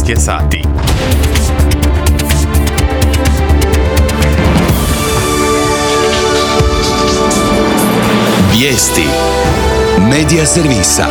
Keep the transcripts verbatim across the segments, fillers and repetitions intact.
devet je sati. Vijesti Medija servisa.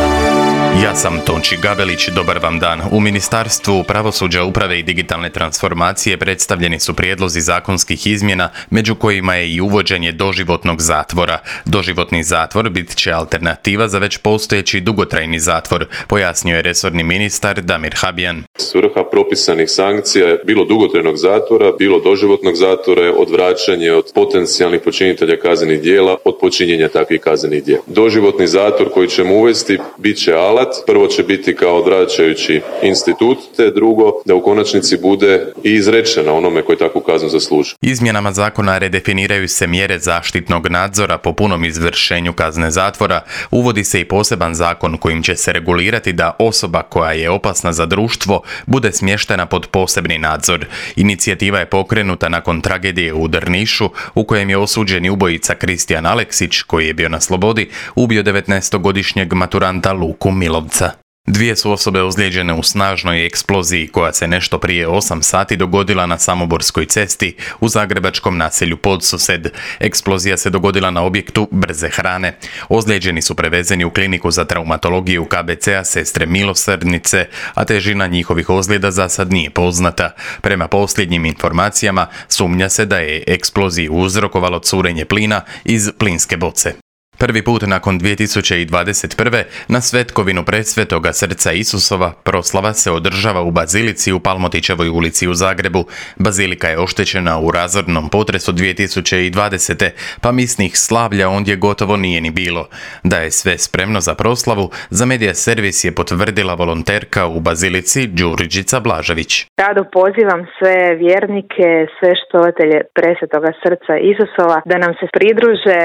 Ja sam Tonči Gabelić, dobar vam dan. U Ministarstvu pravosuđa, uprave i digitalne transformacije predstavljeni su prijedlozi zakonskih izmjena, među kojima je i uvođenje doživotnog zatvora. Doživotni zatvor bit će alternativa za već postojeći dugotrajni zatvor, pojasnio je resorni ministar Damir Habijan. Svrha propisanih sankcija je bilo dugotrajnog zatvora, bilo doživotnog zatvora je odvraćanje od potencijalnih počinitelja kaznenih djela od počinjenja takvih kaznenih djela. Doživotni zatvor koji ćemo uvesti bit će alat. Prvo će biti kao odvraćajući institut, te drugo da u konačnici bude i izrečena onome koji takvu kaznu zasluži. Izmjenama zakona redefiniraju se mjere zaštitnog nadzora po punom izvršenju kazne zatvora. Uvodi se i poseban zakon kojim će se regulirati da osoba koja je opasna za društvo bude smještena pod posebni nadzor. Inicijativa je pokrenuta nakon tragedije u Drnišu u kojem je osuđeni ubojica Kristijan Aleksić, koji je bio na slobodi, ubio devetnaestogodišnjeg maturanta Luku Milovca. Dvije su osobe ozlijeđene u snažnoj eksploziji koja se nešto prije osam sati dogodila na Samoborskoj cesti u zagrebačkom naselju Podsused. Eksplozija se dogodila na objektu brze hrane. Ozlijeđeni su prevezeni u kliniku za traumatologiju K B C-a Sestre Milosrdnice, a težina njihovih ozljeda za sad nije poznata. Prema posljednjim informacijama, sumnja se da je eksploziju uzrokovalo curenje plina iz plinske boce. Prvi put nakon dvije tisuće dvadeset prve. na svetkovinu Presvetoga srca Isusova proslava se održava u Bazilici u Palmotićevoj ulici u Zagrebu. Bazilika je oštećena u razornom potresu dvije tisuće dvadesete. pa misnih slavlja ondje gotovo nije ni bilo. Da je sve spremno za proslavu, za Medija servis je potvrdila volonterka u Bazilici Đurđica Blažević. Rado pozivam sve vjernike, sve štovatelje Presvetoga srca Isusova da nam se pridruže.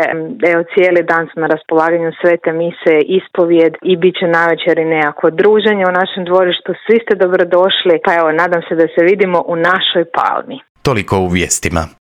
Evo, cijeli dan su na raspolaganju svete mise, ispovijed i bit će navečer i nekako druženje u našem dvorištu. Svi ste dobrodošli, pa evo, nadam se da se vidimo u našoj palmi. Toliko u vijestima.